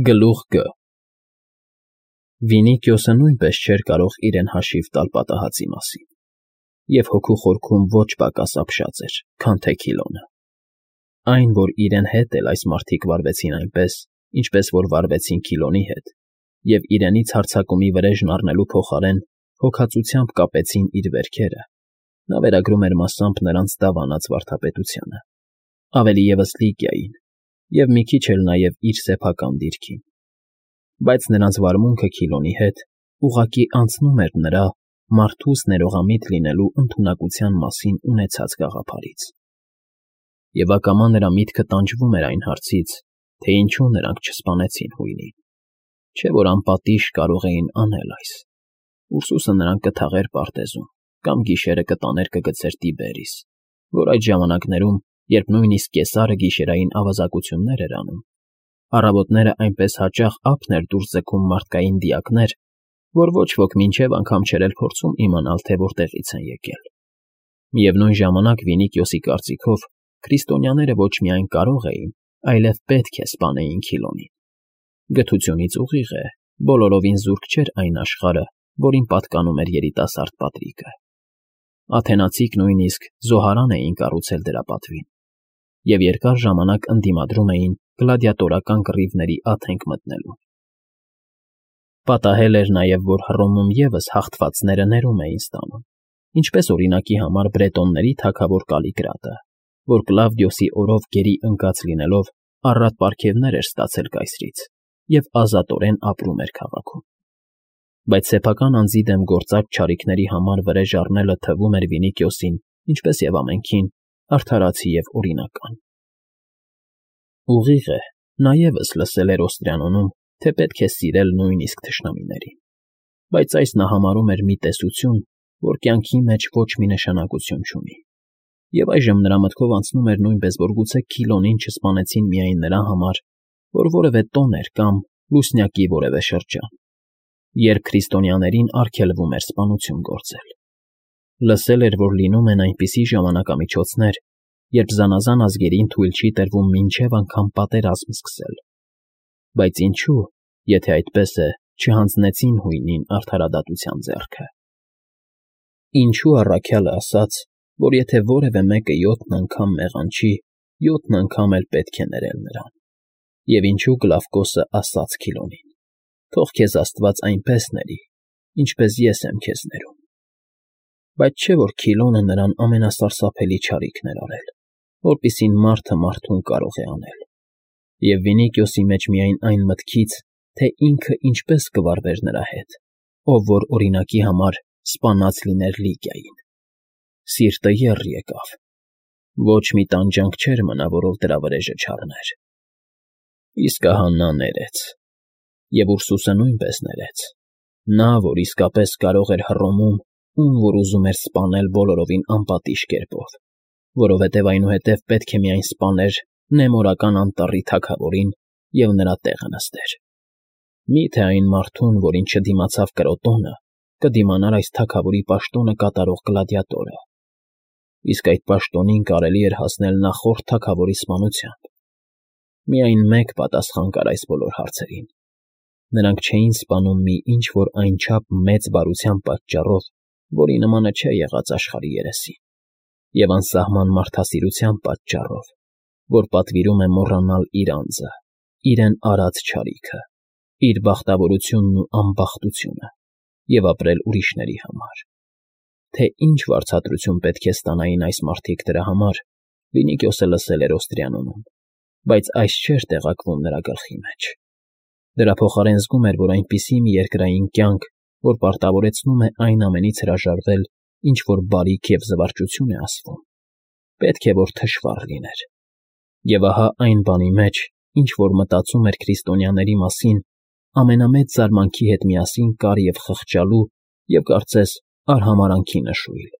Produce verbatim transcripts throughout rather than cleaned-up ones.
Գլուխ Գ Վինիքիոսը նույնպես չէր կարող իրեն հաշիվ տալ պատահածի մասին, և հոգու խորքում ոչ պակաս ապշած էր, քան թե Քիլոնը. այն, որ իրեն հետ էլ այս մարդիկ վարվեցին այնպես, ինչպես որ վարվեցին Քիլոնի հետ, և իրենից հարձակումի վրեժն առնելու փոխարեն հոգածությամբ կապեցին իր վերքերը, նա վերագրում էր մասամբ նրանց դավանած վարդապետությանը, ավելի ևս Լիկիային և մի քիչ էլ նաև իր սեփական դիրքին, բայց նրանց վարմունքը Քիլոնի հետ ուղղակի անցնում էր նրա մարդուս ներողամիտ լինելու ընդունակության մասին ունեցած գաղափարից, և ակամա նրա միտքը տանջվում էր այն հարցից, թե ինչու նրանք չսպանեցին հույնին, չէ՞ որ անպատիժ կարող էին անել այս, Ուրսուսը նրան կթաղեր պարտեզում կամ գիշերը կտաներ կգցեր Տիբերիս, որ այդ ժամանակներում, երբ նույնիսկ Կեսարը գիշերային ավազակություններ էր անում, առավոտները այնպես հաճախ ափն էր դուրս ձգում մարդկային դիակներ, որ ոչ ոք մինչև անգամ չէր էլ փորձում իմանալ, թե որտեղից են եկել. միևնույն ժամանակ Վինիքիոսի կարծիքով քրիստոնյաները ոչ միայն կարող էին, այլև պետք է սպանեին Քիլոնին. գթությունից ուղիղ է, բոլորովին զուրկ չէր այն աշխարհը, որին պատկանում էր երիտասարդ Պատրիկը. աթենացիք նույնիսկ զոհարան էին կառուցել դրա պատվին, և երկար ժամանակ ընդդիմադրում էին գլադիատորական կռիվների աթենք մտնելուն. Պատահել էր նաև, որ Հռոմում ևս հաղթվածները ներում էին ստանում, ինչպես օրինակի համար բրետոնների թագավոր Կալիկրատը, որ Կլավդիոսի օրով գերի ընկած լինելով առատ պարգևներ էր ստացել կայսրից և ազատորեն ապրում էր քաղաքում. բայց սեփական անձի դեմ գործած չարիքների համար վրեժ առնելը թվում էր Վինիքիոսին, ինչպես և ամենքին, արդարացի և օրինական. Ուղիղ է, նա ևս լսել էր Օստրիանոնում, թե պետք է սիրել նույնիսկ թշնամիներին, բայց այս նա համարում էր մի տեսություն, որ կյանքի մեջ ոչ մի նշանակություն չունի, և այժմ նրա մտքով անցնում էր նույնպես, որ գուցե Քիլոնին չսպանեցին միայն նրա համար, որ որևէ տոն էր կամ լուսնյակի որևէ շրջան, երբ քրիստոնյաներին արգելվում էր սպանություն գործել. լսել էր, որ լինում են այնպիսի ժամանակամիջոցներ, երբ զանազան ազգերին թույլ չի տրվում մինչև անգամ պատերազմ սկսել, բայց ինչու, եթե այդպես է, չհանձնեցին հույնին արդարադատության ձեռքը. ինչու առաքյալը ասաց, որ եթե որևէ մեկը յոթն անգամ մեղանչի, յոթն անգամ էլ պետք է ներել նրան, և ինչու Գլավկոսը ասաց Քիլոնին. թող քեզ Աստված այնպես ների, ինչպես ես եմ քեզ ներում, բայց չէ՞ որ Քիլոնը նրան ամենասարսափելի չարիքն էր արել, որպիսին մարդը մարդուն կարող է անել, և Վինիքիոսի մեջ միայն այն մտքից, թե ինքը ինչպես կվարվեր նրա հետ, ով որ օրինակի համար սպանած լիներ Լիկիային. սիրտը եռ եկավ, ոչ մի տանջանք չէր մնա, որով դրա վրեժը չառներ. իսկ ահա նա ներեց, և Ուրսուսը նույնպես ներեց, նա, որ իսկապես կարող էր Հռոմում, ում որ ուզում էր սպանել բոլորովին անպատիժ կերպով, որովհետև այնուհետև պետք է միայն սպաներ Նեմորական անտառի թագավորին և նրա տեղը նստեր. մի՞թե այն մարդուն, որին չդիմացավ Կրոտոնը, կդիմանար այս թագավորի պաշտոնը կատարող գլադիատորը, իսկ այդ պաշտոնին կարելի էր հասնել նախորդ թագավորի սպանությամբ. միայն մեկ պատասխան կար այս բոլոր հարցերին. նրանք չէին սպանում մի ինչ֊որ այնչափ մեծ բարության պատճառով, որի նմանը չէ եղած աշխարհի երեսին, և անսահման մարդասիրության պատճառով, որ պատվիրում է մոռանալ իր անձը, իրեն արած չարիքը, իր բախտավորությունն ու անբախտությունը և ապրել ուրիշների համար. թե ինչ վարձատրություն պետք է ստանային այս մարդիկ դրա համար, Վինիքիոսը լսել էր Օստրիանոնում, բայց այս չէր տեղակվում նրա գլխի մեջ. դրա փոխարեն զգում էր, որ այնպիսի մի երկրային կյանք, որ պարտավորեցնում է այն ամենից հրաժարվել, ինչ որ բարիք և զվարճություն է ասվում, պետք է որ թշվառ լիներ, և ահա այն բանի մեջ, ինչ որ մտածում էր քրիստոնյաների մասին, ամենամեծ զարմանքի հետ միասին կար և խղճալու և կարծես արհամարհանքի նշույլ.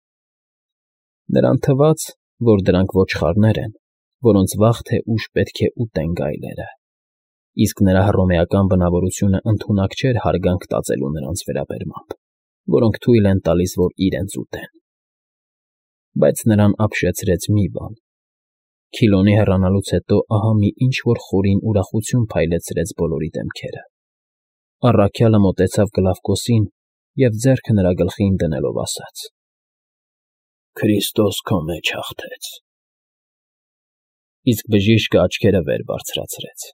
նրան թվաց, որ դրանք ոչխարներ են, որոնց վաղ թե ուշ պետք է ուտեն գայլերը, իսկ նրա հռոմեական բնավորությունը ընդունակ չէր հարգանք տածելու նրանց վերաբերմամբ, որոնք թույլ են տալիս, որ իրենց ուտեն. բայց նրան ապշեցրեց մի բան. Քիլոնի հեռանալուց հետո ահա մի ինչ֊որ խորին ուրախություն փայլեցրեց բոլորի դեմքերը. առաքյալը մոտեցավ Գլավկոսին և ձեռքը նրա գլխին դնելով ասաց. «Քրիստոս քո մեջ հաղթեց»։ Իսկ բժիշկը աչքերը վեր բարձրացրեց,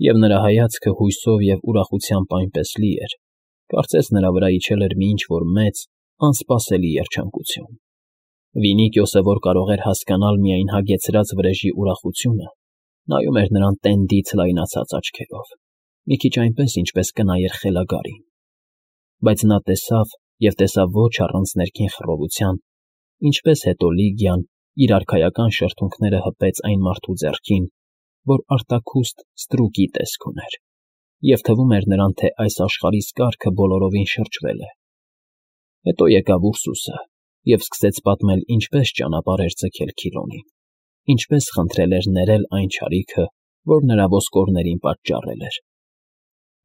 և նրա հայացքը հույսով և ուրախությամբ այնպես լի էր, կարծես նրա վրա իջել էր մի ինչ֊որ մեծ, անսպասելի երջանկություն։ Վինիկիոսը, որ կարող էր հասկանալ միայն հագեցրած վրեժի ուրախությունը, նայում էր նրան տենդից լայնացած աչքերով, մի քիչ այնպես, ինչպես կնայեր խելագարին։ Բայց նա տեսավ և տեսավ ոչ առանց ներքին խռովության, ինչպես հետո Լիգիան իր արքայական շրթունքները հպեց այն մարդու ձեռքին, որ արտաքուստ ստրուկի տեսք ուներ, և թվում էր նրան, թե այս աշխարհի սկարքը բոլորովին շրջվել է։ Հետո եկավ Ուրսուսը և սկսեց պատմել ինչպես ճանապարհ էր ձգել Քիլոնին, ինչպես խնդրել էր ներել այն չարիքը, որ նրա ոսկորներին պատճառել էր։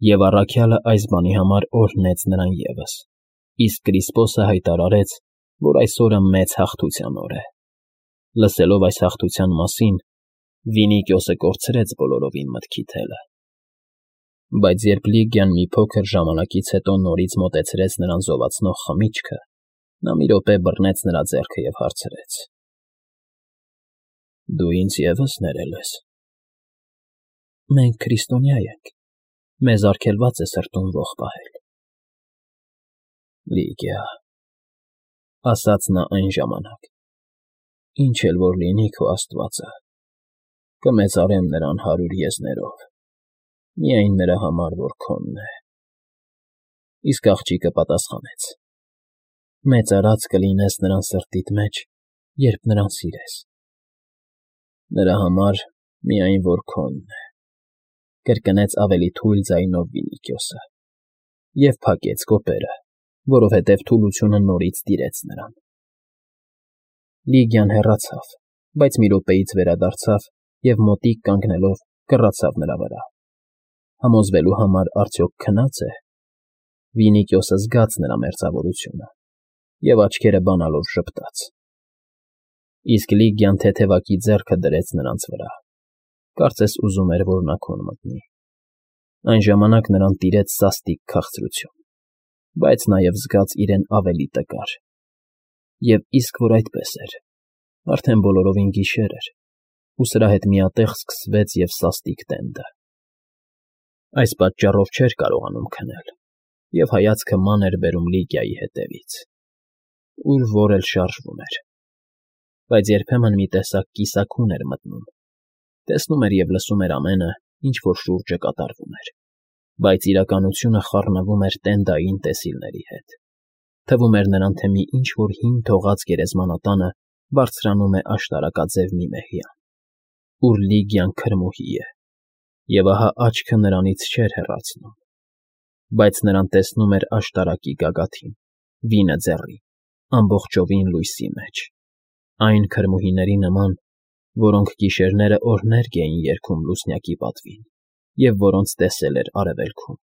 Եվ առաքյալը այս բանի համար օրհնեց նրան ևս, իսկ Կրիսպոսը հայտարարեց, որ այս օրը մեծ հաղթության օր է։ Լսելով այս հաղթության մասին, Վինիկիոսը կորցրեց բոլորովին մտքի թելը։ Բայց երբ Լիգիան մի փոքր ժամանակից հետո նորից մոտեցրեց նրան զովացնող խմիչքը, նա մի րոպե բռնեց նրա ձեռքը և հարցրեց. «Դու ինձ ևս ներել ես»։ «Մենք քրիստոնյա ենք, մեզ արգելված է սրտում ոխ պահել»։ «Լիգիա», ասաց նա այն ժամանակ, «ինչ էլ որ լինի քո աստվածը, կմեծարեմ նրան հարյուր եզներով, միայն նրա համար, որ քոնն է»։ Իսկ աղջիկը պատասխանեց. «Մեծարած կլինես նրան սրտիդ մեջ, երբ նրան սիրես»։ «Նրա համար, միայն որ քոնն է», կրկնեց ավելի թույլ ձայնով Վինիկիոսը և փակեց կոպերը, որովհետև թուլությունը նորից տիրեց նրան։ Լիգիան հեռացավ, բայց մի րոպեից վերադարձավ և մոտիկ կանգնելով կռացավ նրա վրա։ Համոզվելու համար արդյոք քնա՞ծ է։ Վինիկիոսը զգաց նրա մերձավորությունը և աչքերը բանալով ժպտաց։ Իսկ Լիգիան թեթևակի ձեռքը դրեց նրանց վրա, կարծես ուզում էր, որ նա քուն մտնի։ Այն ժամանակ նրան տիրեց սաստիկ քաղցրություն, բայց նաև զգաց իրեն ավելի տկար։ Եվ իսկ որ այդպես էր, արդեն բոլորովին գիշեր էր, ու սրա հետ միատեղ սկսվեց և սաստիկ տենդը։ Այս պատճառով չէր կարողանում քնել և հայացքը ման էր բերում Լիգիայի հետևից, ուր որ էլ շարժվում էր։ Բայց երբեմն մի տեսակ կիսաքուն էր մտնում, տեսնում էր և լսում էր ամենը, ինչ որ շուրջը կատարվում էր, բայց իրականությունը խառնվում էր տենդային տեսիլների հետ։ Թվում էր նրան, թե մի ինչ֊որ հին թողած գերեզմանատանը բարձրանում է աշտարակաձև մի մեհյան, ուր Լիգիան քրմուհի է, և ահա աչքը նրանից չէր հեռացնում, բայց նրան տեսնում էր աշտարակի գագաթին, վինը ձեռին, ամբողջովին լույսի մեջ, այն քրմուհիների նման, որոնք գիշերները օրհներգ էին երգում լուսնյակի պատվին և որոնց տեսել էր արևելքում։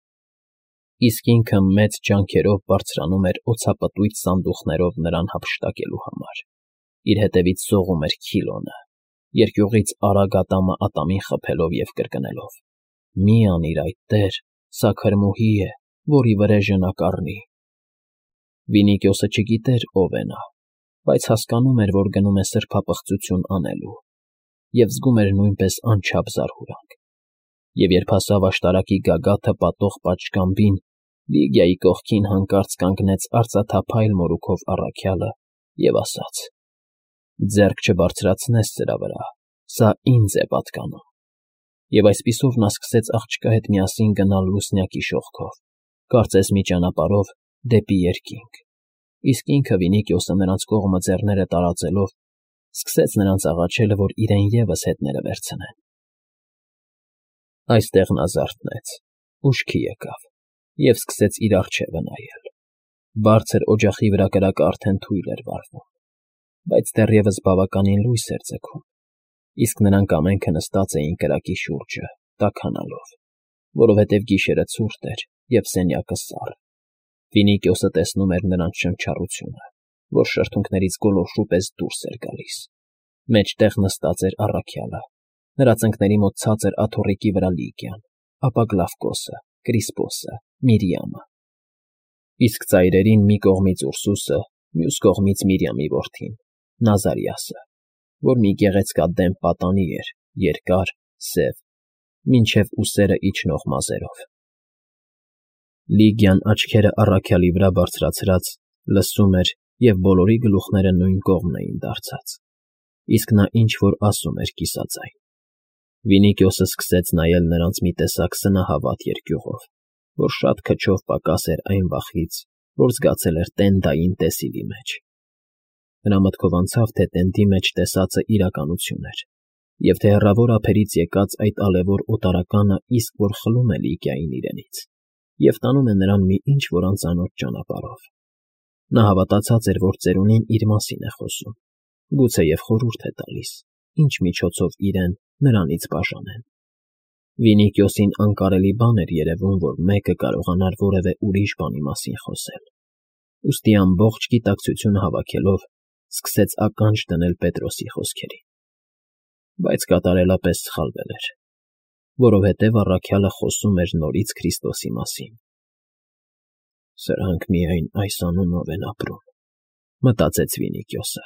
Իսկ ինքը մեծ ջանքերով բարձրանում էր օձապտույտ սանդուղքներով նրան հափշտակելու համար, իր հետևից սողում էր Քիլոնը, երկյուղից արագ ատամը ատամին խփելով և կրկնելով. «Մի անիր այդ, տեր, սա քրմուհի է, որի վրեժը նա կառնի»։ Վինիկիոսը չգիտեր ով է նա, բայց հասկանում էր, որ գնում է սրբապղծություն անելու, և զգում էր նույնպես անչափ զարհուրանք։ Եվ երբ հասավ աշտարակի գագաթը պատող պատշգամբին, Լիգիայի կողքին հանկարծ կանգնեց արծաթափայլ մորուքով առաքյալը և ասաց. «Ձեռք չբարձրացնես սրա վրա, սա ինձ է պատկանում»։ Եվ այսպիսով նա սկսեց աղջկա հետ միասին գնալ լուսնյակի շողքով, կարծես մի ճանապարհով դեպի երկինք, իսկ ինքը Վինիկիոսը նրանց կողմը ձեռները տարածելով սկսեց նրանց աղաչել, որ իրեն ևս հետները վերցնեն։ Այստեղ նա զարթնեց, ուշքի եկավ և սկսեց իր առջևը նայել։ Բարձր օջախի վրա կրակը արդեն թույլ էր վառվում, բայց դեռևս բավականին լույս էր ձգում, իսկ նրանք ամենքը նստած էին կրակի շուրջը, տաքանալով, որովհետև գիշերը ցուրտ էր և սենյակը սառ։ Վինիկիոսը տեսնում էր նրանց շնչառությունը, որ շրթունքներից գոլորշու պես դուրս էր գալիս, Մեջտեղ նստած էր առաքյալը, նրա ծնկների մոտ ցած էր աթոռիկի վրա Լիգիան, ապա Գլավկոսը, Կրիսպոսը, Միրիամը, իսկ ծայրերին մի կողմից Ուրսուսը, մյուս կողմից Միրիամի որդին, Նազարիասը, որ մի գեղեցկադեմփ պատանի էր, երկար, սև, մինչև ուսերը իջնող մազերով։ Լիգիան աչքերը առաքյալի վրա բարձրացրած լսում էր, և բոլորի գլուխները նույն կողմն էին դարձած, իսկ նա ինչ֊որ ասում էր կիսաձայն։ Վինիքիոսը սկսեց նայել նրանց մի տեսակ սնահավատ երկյուղով, որ շատ քչով պակաս էր այն վախից, որ զգացել էր Տենդային տեսիլի մեջ։ Նրա մտքով անցավ, թե տենդի մեջ տեսածը իրականություն էր, և թե հեռավոր ափերից եկած այդ ալևոր օտարականը իսկ որ խլում է Լիգիային իրենից և տանում է նրան մի ինչ֊որ անծանոթ ճանապարհով։ Նա հավատացած էր, որ ծերունին իր մասին է խոսում, գուցեև խորհուրդ է տալիս, ինչ միջոցով իրեն նրանից բաժանեն։ Վինիքիոսին անկարելի բան էր երևում, որ մեկը կարողանար որևէ ուրիշ բանի մասին խոսել, ուստի ամբողջ գիտակցությունը հավաքելով սկսեց ականջ դնել Պետրոսի խոսքերին։ Բայց կատարելապես սխալվել էր, որովհետև առաքյալը խոսում էր նորից Քրիստոսի մասին։ «Սրանք միայն այս անունով են ապրում», մտածեց Վինիքիոսը։